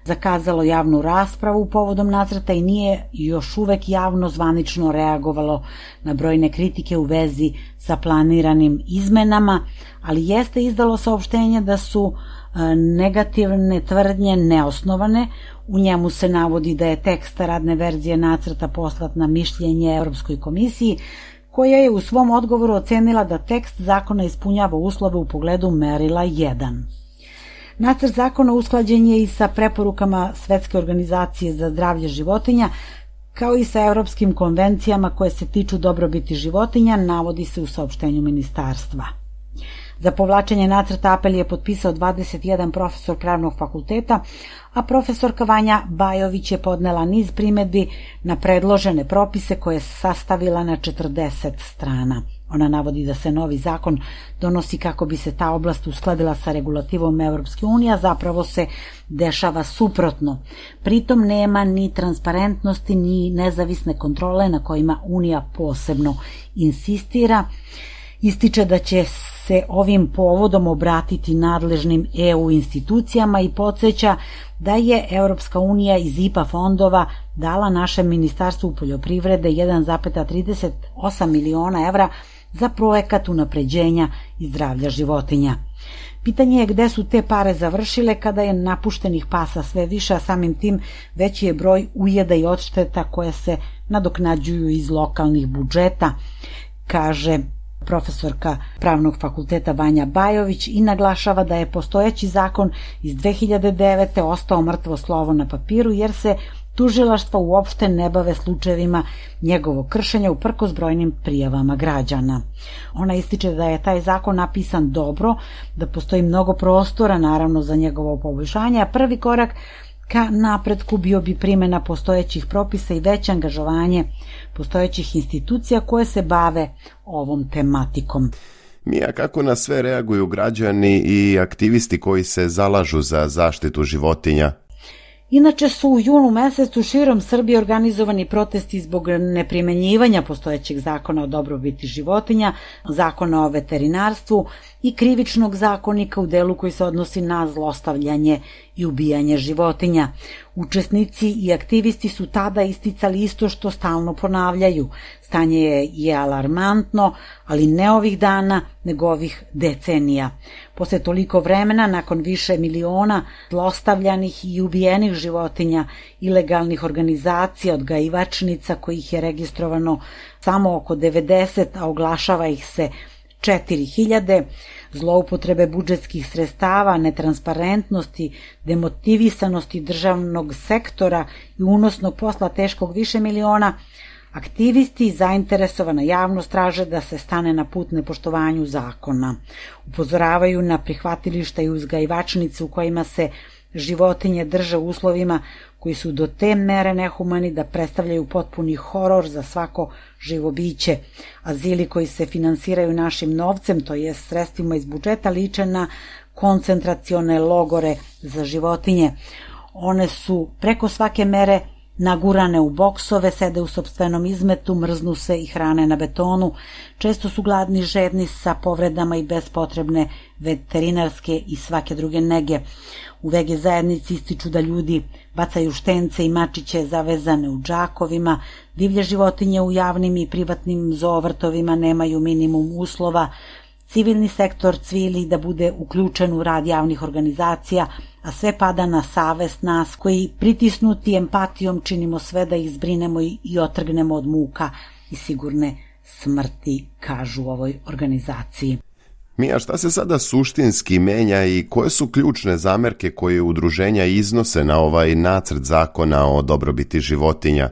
zakazalo javnu raspravu povodom nacrta i nije još uvek javno zvanično reagovalo na brojne kritike u vezi sa planiranim izmenama, ali jeste izdalo saopštenje da su negativne tvrdnje neosnovane. U njemu se navodi da je tekst radne verzije nacrta poslat na mišljenje Evropskoj komisiji, koja je u svom odgovoru ocenila da tekst zakona ispunjava uslove u pogledu merila jedan. Nacrt zakona usklađen je i sa preporukama Svetske organizacije za zdravlje životinja, kao i sa evropskim konvencijama koje se tiču dobrobiti životinja, navodi se u saopštenju ministarstva. Za povlačenje nacrta apel je potpisao dvadeset jedan profesor pravnog fakulteta, a profesorka Vanja Bajović je podnela niz primedbi na predložene propise koje je sastavila na četrdeset strana. Ona navodi da se novi zakon donosi kako bi se ta oblast uskladila sa regulativom Evropske unije, a zapravo se dešava suprotno. Pritom nema ni transparentnosti ni nezavisne kontrole na kojima Unija posebno insistira. Ističe da će se ovim povodom obratiti nadležnim E U institucijama i podsjeća da je Evropska unija iz I P A fondova dala našem Ministarstvu poljoprivrede jedan zarez trideset osam miliona evra za projekat unapređenja i zdravlja životinja. Pitanje je gde su te pare završile kada je napuštenih pasa sve više, a samim tim veći je broj ujeda i odšteta koje se nadoknađuju iz lokalnih budžeta, kaže profesorka Pravnog fakulteta Vanja Bajović i naglašava da je postojeći zakon iz dve hiljade devete. ostao mrtvo slovo na papiru jer se tužilaštva uopšte ne bave slučajevima njegovog kršenja uprkos brojnim prijavama građana. Ona ističe da je taj zakon napisan dobro, da postoji mnogo prostora naravno za njegovo poboljšanje, a prvi korak ka napretku bio bi primjena postojećih propisa i veće angažovanje postojećih institucija koje se bave ovom tematikom. Mija, kako na sve reaguju građani i aktivisti koji se zalažu za zaštitu životinja? Inače su u junu mesecu širom Srbije organizovani protesti zbog neprimenjivanja postojećeg zakona o dobrobiti životinja, zakona o veterinarstvu i krivičnog zakonika u delu koji se odnosi na zlostavljanje i ubijanje životinja. Učesnici i aktivisti su tada isticali isto što stalno ponavljaju. Stanje je alarmantno, ali ne ovih dana, nego ovih decenija. Posle toliko vremena, nakon više miliona zlostavljanih i ubijenih životinja, ilegalnih organizacija, odgajivačnica kojih je registrovano samo oko devedeset, a oglašava ih se četiri hiljade, zloupotrebe budžetskih sredstava, netransparentnosti, demotivisanosti državnog sektora i unosnog posla teškog više miliona, aktivisti i zainteresovana javnost traže da se stane na put nepoštovanju zakona. Upozoravaju na prihvatilišta i uzgajivačnice u kojima se životinje drže u uslovima koji su do te mere nehumani da predstavljaju potpuni horor za svako živo biće. Azili koji se finansiraju našim novcem, to je sredstvima iz budžeta, liče na koncentracione logore za životinje. One su preko svake mere nagurane u boksove, sede u sopstvenom izmetu, mrznu se i hrane na betonu, često su gladni, žedni, sa povredama i bez potrebne veterinarske i svake druge nege. U vege zajednici ističu da ljudi bacaju štence i mačiće zavezane u džakovima, divlje životinje u javnim i privatnim zoovrtovima nemaju minimum uslova, civilni sektor cvili da bude uključen u rad javnih organizacija, a sve pada na savest nas koji pritisnuti empatijom činimo sve da ih zbrinemo i otrgnemo od muka i sigurne smrti, kažu u ovoj organizaciji. Mija, šta se sada suštinski menja i koje su ključne zamerke koje udruženja iznose na ovaj nacrt zakona o dobrobiti životinja?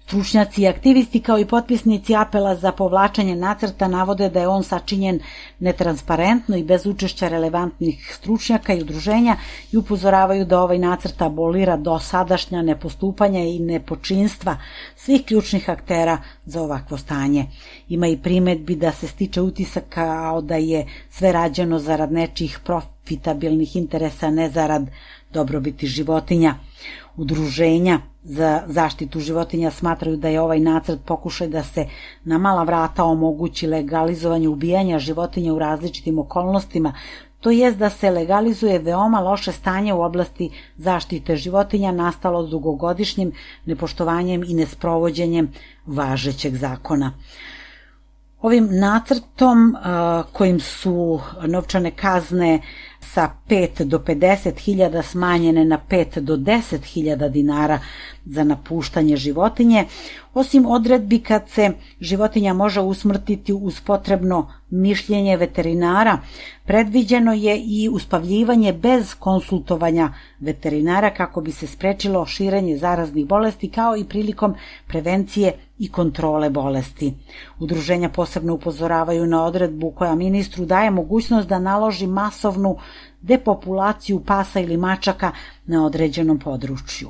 Stručnjaci i aktivisti kao i potpisnici apela za povlačenje nacrta navode da je on sačinjen netransparentno i bez učešća relevantnih stručnjaka i udruženja i upozoravaju da ovaj nacrt abolira dosadašnja nepostupanja i nepočinstva svih ključnih aktera za ovakvo stanje. Ima i primedbi da se stiče utisak kao da je sve rađeno zarad nečijih profitabilnih interesa, ne zarad dobrobiti životinja. Udruženja za zaštitu životinja smatraju da je ovaj nacrt pokušaj da se na mala vrata omogući legalizovanje ubijanja životinja u različitim okolnostima, to jest da se legalizuje veoma loše stanje u oblasti zaštite životinja nastalo dugogodišnjim nepoštovanjem i nesprovođenjem važećeg zakona. Ovim nacrtom kojim su novčane kazne sa pet do pedeset hiljada smanjene na pet do deset hiljada dinara za napuštanje životinje, osim odredbi kad se životinja može usmrtiti uz potrebno mišljenje veterinara, predviđeno je i uspavljivanje bez konsultovanja veterinara kako bi se sprečilo širenje zaraznih bolesti kao i prilikom prevencije i kontrole bolesti. Udruženja posebno upozoravaju na odredbu koja ministru daje mogućnost da naloži masovnu depopulaciju pasa ili mačaka na određenom području.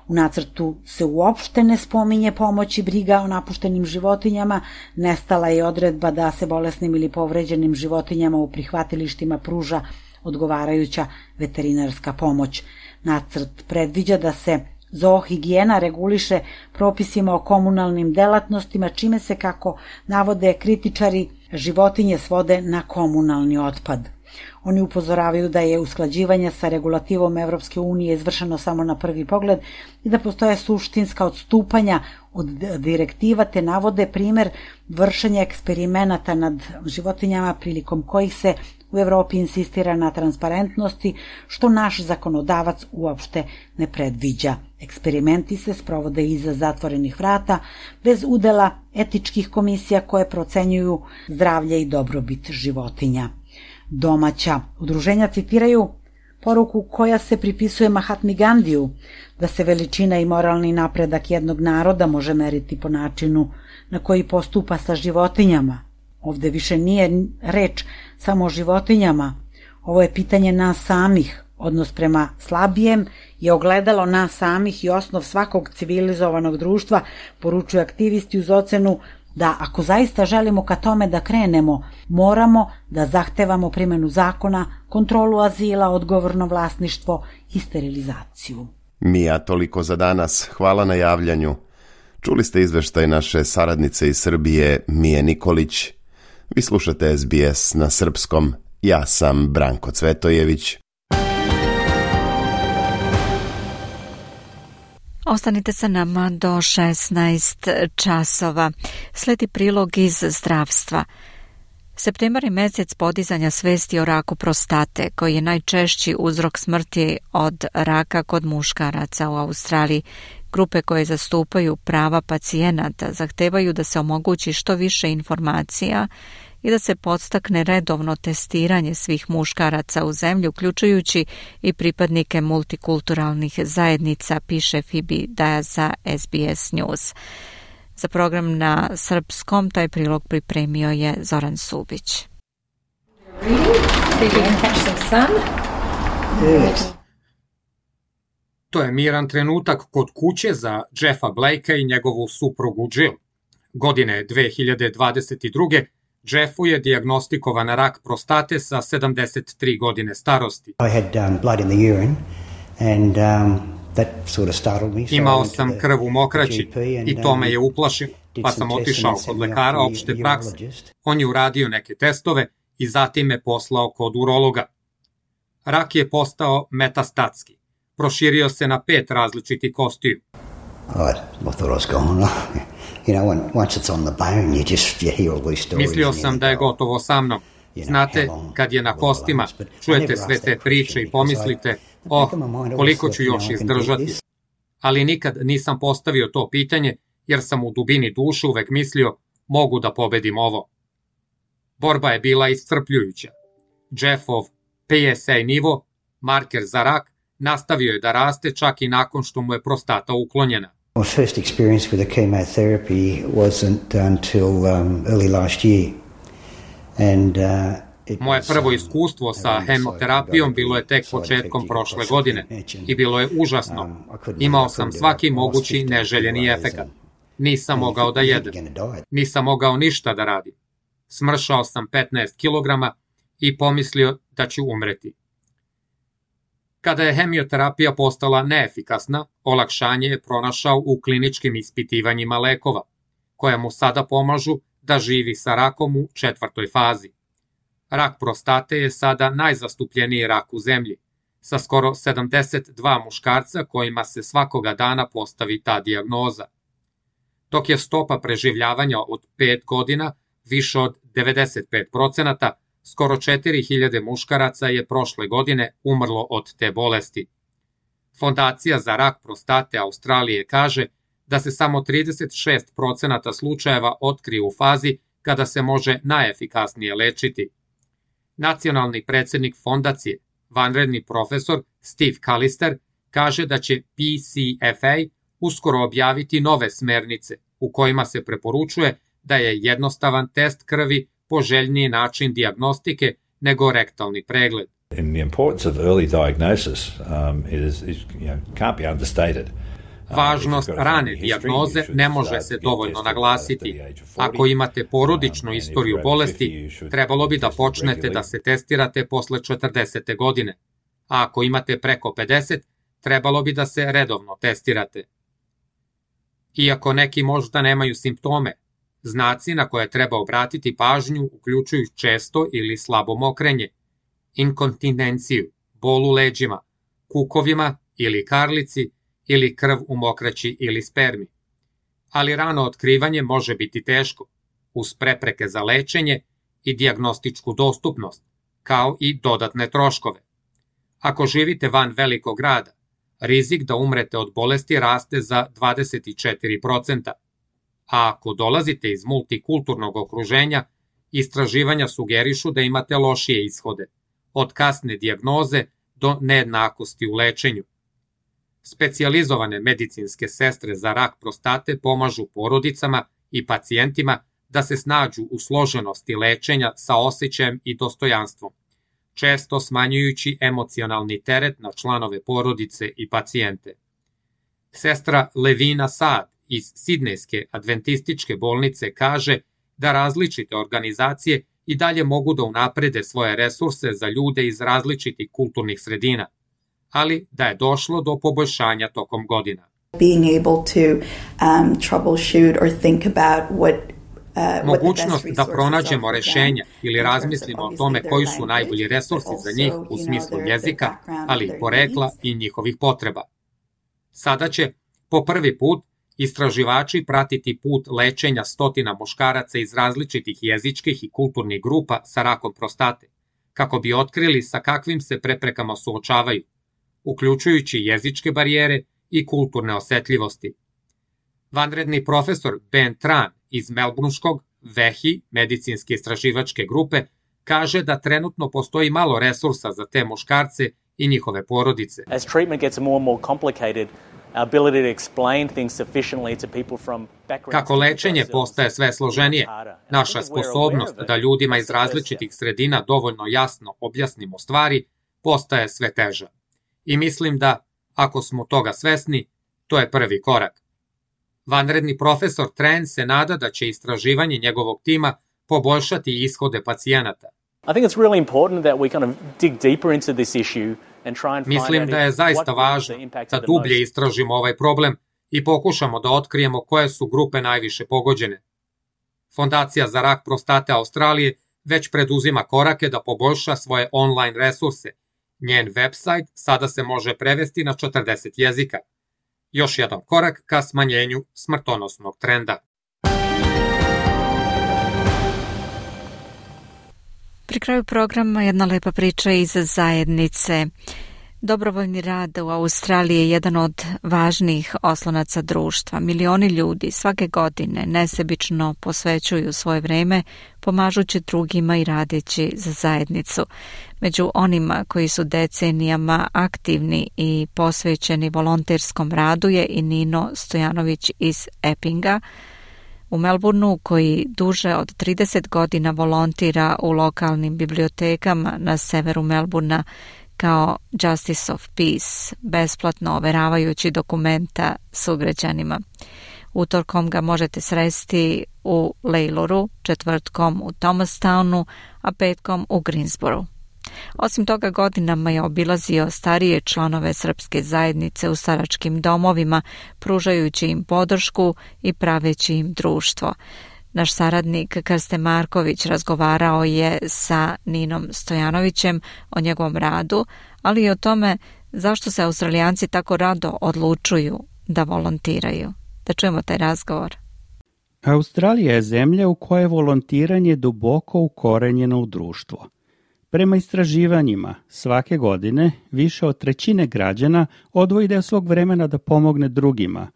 U nacrtu se uopšte ne spominje pomoć i briga o napuštenim životinjama, nestala je odredba da se bolesnim ili povređenim životinjama u prihvatilištima pruža odgovarajuća veterinarska pomoć. Nacrt predviđa da se zoohigijena reguliše propisima o komunalnim delatnostima, čime se, kako navode kritičari, životinje svode na komunalni otpad. Oni upozoravaju da je usklađivanje sa regulativom Evropske unije izvršeno samo na prvi pogled i da postoje suštinska odstupanja od direktiva, te navode primer vršenja eksperimenata nad životinjama prilikom kojih se u Evropi insistira na transparentnosti, što naš zakonodavac uopšte ne predviđa. Eksperimenti se sprovode iza zatvorenih vrata, bez udela etičkih komisija koje procenjuju zdravlje i dobrobit životinja. Domaća udruženja citiraju poruku koja se pripisuje Mahatmi Gandiju, da se veličina i moralni napredak jednog naroda može meriti po načinu na koji postupa sa životinjama. Ovde više nije reč samo o životinjama, ovo je pitanje nas samih. Odnos prema slabijem je ogledalo nas samih i osnov svakog civilizovanog društva, poručuju aktivisti uz ocenu da ako zaista želimo ka tome da krenemo, moramo da zahtevamo primjenu zakona, kontrolu azila, odgovorno vlasništvo i sterilizaciju. Mija, toliko za danas. Hvala na javljanju. Čuli ste izveštaj naše saradnice iz Srbije, Mije Nikolić. Vi slušate S B S na srpskom. Ja sam Branko Cvetojević. Ostanite sa nama do šesnaest časova. Sledi prilog iz zdravstva. Septembar je mesec podizanja svesti o raku prostate, koji je najčešći uzrok smrti od raka kod muškaraca u Australiji. Grupe koje zastupaju prava pacijenata zahtevaju da se omogući što više informacija i da se podstakne redovno testiranje svih muškaraca u zemlji, uključujući i pripadnike multikulturalnih zajednica, piše Phoebe Daja za S B S News. Za program na srpskom taj prilog pripremio je Zoran Subić. To je miran trenutak kod kuće za Jeffa Blakea i njegovu suprugu Jill. Godine dve hiljade dvadeset druge. Jeffu je dijagnostikovana rak prostate sa sedamdeset tri godine starosti. Imao sam krv u mokraći i to me je uplašilo, pa sam otišao kod lekara opšte prakse. On je uradio neke testove i zatim me poslao kod urologa. Rak je postao metastatski. Proširio se na pet različitih kostiju. Mislio sam da je gotovo sa mnom. Znate, kad je na kostima, čujete sve te priče i pomislite, oh, koliko ću još izdržati. Ali nikad nisam postavio to pitanje, jer sam u dubini duše uvek mislio, mogu da pobedim ovo. Borba je bila iscrpljujuća. Jeffov P S A nivo, marker za rak, nastavio je da raste čak i nakon što mu je prostata uklonjena. My first experience with the chemotherapy wasn't until um, early last year. And, uh, Moje prvo iskustvo sa hemoterapijom bilo je tek početkom prošle godine i bilo je užasno. Imao sam svaki mogući neželjeni efekat. Nisam mogao da jedem. Nisam mogao ništa da radim. Smršao sam petnaest kilograma i pomislio da ću umreti. Kada je hemioterapija postala neefikasna, olakšanje je pronašao u kliničkim ispitivanjima lekova, koja mu sada pomažu da živi sa rakom u četvrtoj fazi. Rak prostate je sada najzastupljeniji rak u zemlji, sa skoro sedamdeset dva muškarca kojima se svakoga dana postavi ta dijagnoza. Dok je stopa preživljavanja od pet godina više od devedeset pet procenata, skoro četiri hiljade muškaraca je prošle godine umrlo od te bolesti. Fondacija za rak prostate Australije kaže da se samo trideset šest procenata slučajeva otkrije u fazi kada se može najefikasnije lečiti. Nacionalni predsjednik fondacije, vanredni profesor Steve Callister, kaže da će P C F A uskoro objaviti nove smernice u kojima se preporučuje da je jednostavan test krvi poželjniji način dijagnostike nego rektalni pregled. And the importance of early diagnosis um, is, is, you know, can't be understated. Važnost rane dijagnoze ne može se dovoljno naglasiti. Ako imate porodičnu istoriju bolesti, trebalo bi da počnete da se testirate posle četrdesete godine. A ako imate preko pedeset, trebalo bi da se redovno testirate. Iako neki možda nemaju simptome, znaci na koje treba obratiti pažnju uključuju često ili slabo mokrenje, inkontinenciju, bol u leđima, kukovima ili karlici, ili krv u mokraći ili spermi. Ali rano otkrivanje može biti teško, uz prepreke za lečenje i dijagnostičku dostupnost, kao i dodatne troškove. Ako živite van velikog grada, rizik da umrete od bolesti raste za dvadeset četiri procenta. A ako dolazite iz multikulturnog okruženja, istraživanja sugerišu da imate lošije ishode, od kasne dijagnoze do nejednakosti u lečenju. Specijalizovane medicinske sestre za rak prostate pomažu porodicama i pacijentima da se snađu u složenosti lečenja sa osjećajem i dostojanstvom, često smanjujući emocionalni teret na članove porodice i pacijente. Sestra Levina Saad iz Sidnejske adventističke bolnice kaže da različite organizacije i dalje mogu da unaprede svoje resurse za ljude iz različitih kulturnih sredina, ali da je došlo do poboljšanja tokom godina. Being able to um, troubleshoot or think about what Uh, Mogućnost da pronađemo rešenja ili razmislimo o tome koji su najbolji resursi za njih u smislu jezika, ali i porekla i njihovih potreba. Sada će, po prvi put, istraživači pratiti put lečenja stotina muškaraca iz različitih jezičkih i kulturnih grupa sa rakom prostate, kako bi otkrili sa kakvim se preprekama suočavaju, uključujući jezičke barijere i kulturne osetljivosti. Vanredni profesor Ben Tran iz Melbourneškog V E H I medicinske istraživačke grupe kaže da trenutno postoji malo resursa za te muškarce i njihove porodice. As treatment gets more and more complicated, our ability to explain things sufficiently to people from backgrounds. Kako lečenje postaje sve složenije, naša sposobnost da ljudima iz različitih sredina dovoljno jasno objasnimo stvari postaje sve teža. I mislim da, ako smo toga svesni, to je prvi korak. Vanredni profesor Tran se nada da će istraživanje njegovog tima poboljšati ishode pacijenata. Mislim da je zaista važno da dublje istražimo ovaj problem i pokušamo da otkrijemo koje su grupe najviše pogođene. Fondacija za rak prostate Australije već preduzima korake da poboljša svoje online resurse. Njen website sada se može prevesti na četrdeset jezika. Još jedan korak ka smanjenju smrtonosnog trenda. Pri kraju programa jedna lepa priča iz zajednice. Dobrovoljni rad u Australiji je jedan od važnijih oslonaca društva. Milioni ljudi svake godine nesebično posvećuju svoje vreme pomažući drugima i radeći za zajednicu. Među onima koji su decenijama aktivni i posvećeni volonterskom radu je i Nino Stojanović iz Eppinga u Melbourneu, koji duže od trideset godina volontira u lokalnim bibliotekama na severu Melbournea kao Justice of Peace, besplatno overavajući dokumenta sugrađanima. Utorkom ga možete sresti u Layloru, četvrtkom u Thomastownu, a petkom u Greensboro. Osim toga, godinama je obilazio starije članove srpske zajednice u staračkim domovima, pružajući im podršku i praveći im društvo. Naš saradnik Krsten Marković razgovarao je sa Ninom Stojanovićem o njegovom radu, ali i o tome zašto se Australijanci tako rado odlučuju da volontiraju. Da čujemo taj razgovor. Australija je zemlja u kojoj je volontiranje duboko ukorenjeno u društvo. Prema istraživanjima, svake godine više od trećine građana odvoji deo svog vremena da pomogne drugima,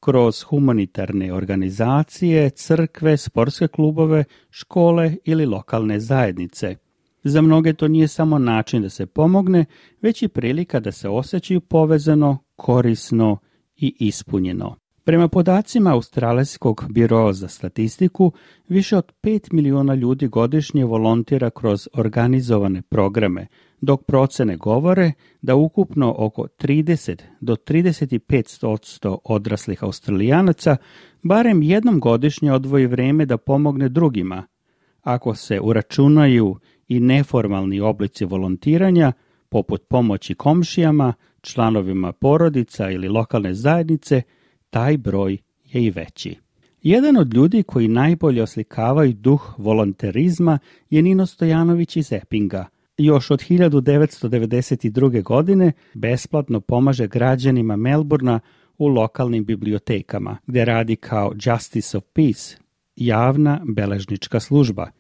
kroz humanitarne organizacije, crkve, sportske klubove, škole ili lokalne zajednice. Za mnoge to nije samo način da se pomogne, već i prilika da se osjećaju povezano, korisno i ispunjeno. Prema podacima Australijskog biroa za statistiku, više od pet miliona ljudi godišnje volontira kroz organizovane programe, dok procene govore da ukupno oko trideset do trideset pet posto odraslih Australijanaca barem jednom godišnje odvoji vreme da pomogne drugima. Ako se uračunaju i neformalni oblici volontiranja, poput pomoći komšijama, članovima porodica ili lokalne zajednice, taj broj je i veći. Jedan od ljudi koji najbolje oslikavaju duh volonterizma je Nino Stojanović iz Eppinga. Još od hiljadu devetsto devedeset druge. godine besplatno pomaže građanima Melbourna u lokalnim bibliotekama, gdje radi kao Justice of Peace, javna beležnička služba.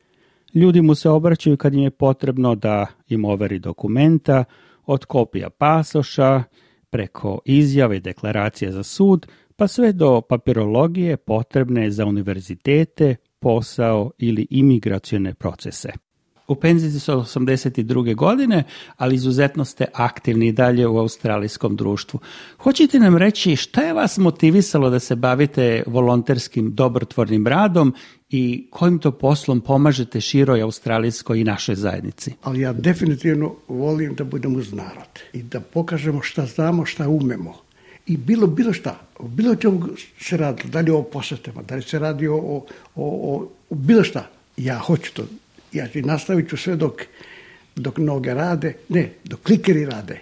Ljudi mu se obraćaju kad im je potrebno da im overi dokumenta, od kopija pasoša, preko izjave i deklaracije za sud, pa sve do papirologije potrebne za univerzitete, posao ili imigracione procese. U penziji su osamdeset druge. godine, ali izuzetno ste aktivni i dalje u australijskom društvu. Hoćete nam reći šta je vas motivisalo da se bavite volonterskim dobrotvornim radom i kojim to poslom pomažete široj australijskoj i našoj zajednici? Ali ja definitivno volim da budemo uz narod i da pokažemo šta znamo, šta umemo. I bilo, bilo šta, bilo čemu se radi, da li o posjetama, da li se radi o, o, o, o bilo šta. Ja hoću to. Ja ću nastavit ću sve dok, dok noge rade, ne, dok klikeri rade,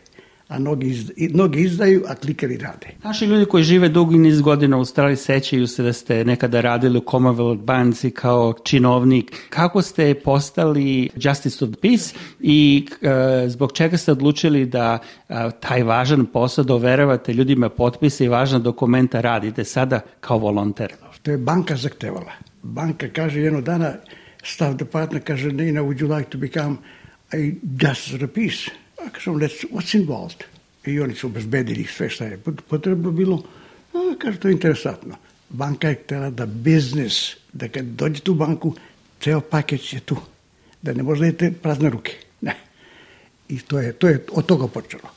a noge, izda, noge izdaju, a klikeri rade. Naši ljudi koji žive dugi niz godina u Australiji sećaju se da ste nekada radili u Commonwealth banci kao činovnik. Kako ste postali Justice of Peace i uh, zbog čega ste odlučili da uh, taj važan posao da overavate ljudima potpise i važna dokumenta radite sada kao volonter? To je banka zahtevala. Banka kaže jednog dana, staff department kaže, Nina, would you like to become a Justice of the Peace? A kažem, what's involved? I oni su obezbedili sve šta je potrebno bilo. A kaže, to je interesantno. Banka je htjela da biznis, da kad dođete u banku, ceo paket je tu. Da ne možda idete prazne ruke. Ne. I to je, to je od toga počelo.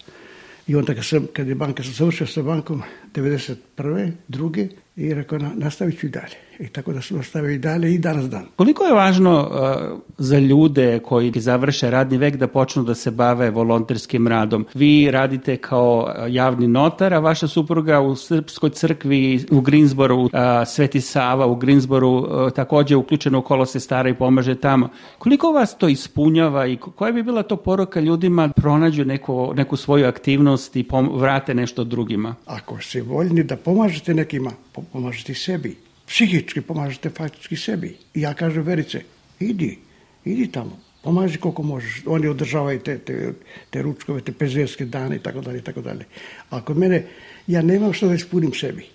I onda kad, sam, kad je banka sam završio sa bankom devedeset prve, druge, i rekao, nastavit ću i dalje. I tako da sam nastavio i dalje i danas dan. Koliko je važno uh, za ljude koji završe radni vek da počnu da se bave volonterskim radom? Vi radite kao javni notar, a vaša supruga u Srpskoj crkvi u Greensboro, uh, Sveti Sava u Greensboro, uh, također uključeno u kolo sestara i pomaže tamo. Koliko vas to ispunjava i koja bi bila to poruka ljudima pronađu neku, neku svoju aktivnost i pom- vrate nešto drugima? Ako ste voljni da pomažete nekima, pomažete sebi. Psihički pomažete faktički sebi. I ja kažem, Verice, idi, idi tamo, pomaži koliko možeš. Oni održavaju te, te, te ručkove, te penzijske dane i tako dalje, i tako dalje. A kod mene, ja nemam što da ispunim sebi.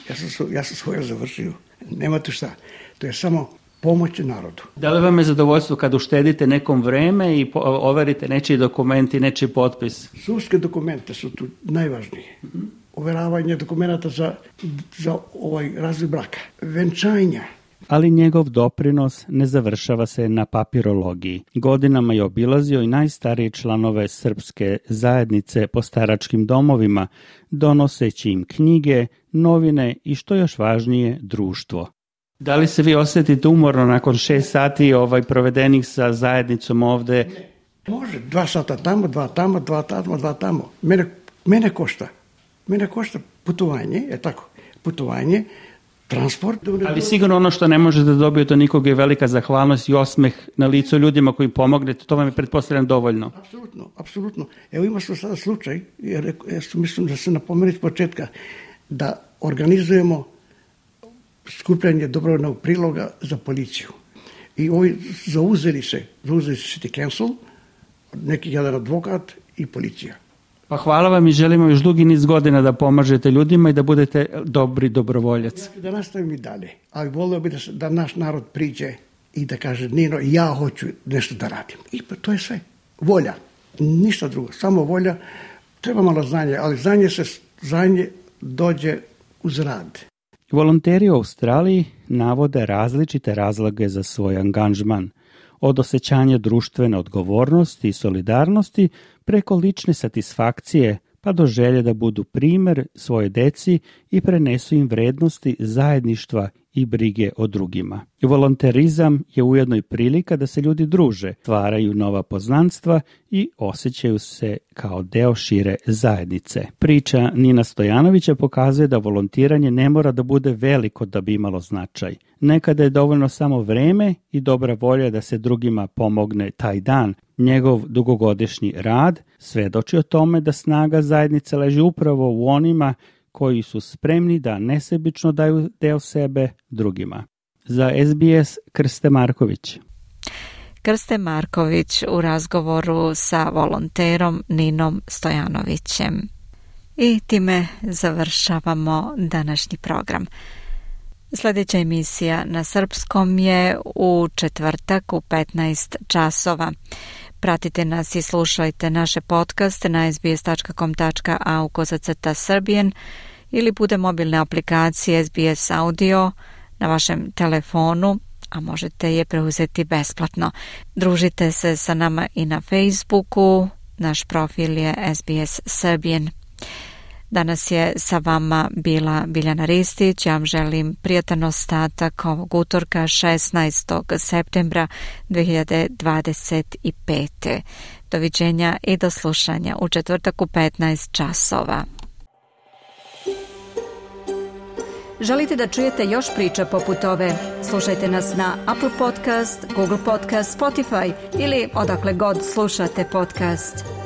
Ja sam, ja sam svoje završio. Nema tu šta. To je samo pomoć narodu. Da li vam je zadovoljstvo kad uštedite nekom vreme i overite nečiji dokumenti, nečiji potpis? Sudske dokumente su tu najvažnije. Mm-hmm. Overavanje dokumenta za, za ovaj razvoj braka, venčanja. Ali njegov doprinos ne završava se na papirologiji. Godinama je obilazio i najstarije članove srpske zajednice po staračkim domovima, donoseći im knjige, novine i što još važnije, društvo. Da li se vi osjetite umorno nakon šest sati ovaj provedenih sa zajednicom ovde? Može, dva sata tamo, dva tamo, dva tamo, dva tamo. Mene, mene košta. Mene košta putovanje, je tako, putovanje, transport. Ali sigurno ono što ne možete da dobijete od nikoga je velika zahvalnost i osmeh na licu ljudima koji pomognete, to vam je pretpostavljam dovoljno. Apsolutno, apsolutno. Evo ima smo sada slučaj, jer ja mislim da se napomenuti s početka, da organizujemo skupljanje dobrovoljnog priloga za policiju. I ovi zauzeli se, zauzeli se City Council, neki jedan advokat i policija. Pa hvala vam i želimo još dugi niz godina da pomažete ljudima i da budete dobri dobrovoljac. Da nastavim i dalje, ali volio bi da, da naš narod priđe i da kaže Nino, ja hoću nešto da radim. I to je sve. Volja. Ništa drugo. Samo volja. Treba malo znanje, ali znanje se znanje dođe uz rad. Volonteri u Australiji navode različite razloge za svoj angažman, od osjećanja društvene odgovornosti i solidarnosti preko lične satisfakcije pa do želje da budu primer svoje deci i prenesu im vrednosti zajedništva i brige o drugima. Volonterizam je ujedno i prilika da se ljudi druže, stvaraju nova poznanstva i osjećaju se kao deo šire zajednice. Priča Nina Stojanovića pokazuje da volontiranje ne mora da bude veliko da bi imalo značaj. Nekada je dovoljno samo vreme i dobra volja da se drugima pomogne taj dan. Njegov dugogodišnji rad svedoči o tome da snaga zajednice leži upravo u onima koji su spremni da nesebično daju deo sebe drugima. Za S B S Krste Marković. Krste Marković u razgovoru sa volonterom Ninom Stojanovićem. I time završavamo današnji program. Sljedeća emisija na srpskom je u četvrtak u petnaest časova. Pratite nas i slušajte naše podcaste na sbs.com tačka a u kozacrta srbijen ili putem mobilne aplikacije S B S Audio na vašem telefonu, a možete je preuzeti besplatno. Družite se sa nama i na Facebooku, naš profil je S B S Srbijen. Danas je sa vama bila Biljana Ristić. Ja vam želim prijatan ostatak ovog utorka šesnaestog septembra dve hiljade dvadeset pete. Doviđenja i do slušanja u četvrtak u petnaest časova. Želite da čujete još priča poput ove? Slušajte nas na Apple Podcast, Google Podcast, Spotify ili odakle god slušate podcast.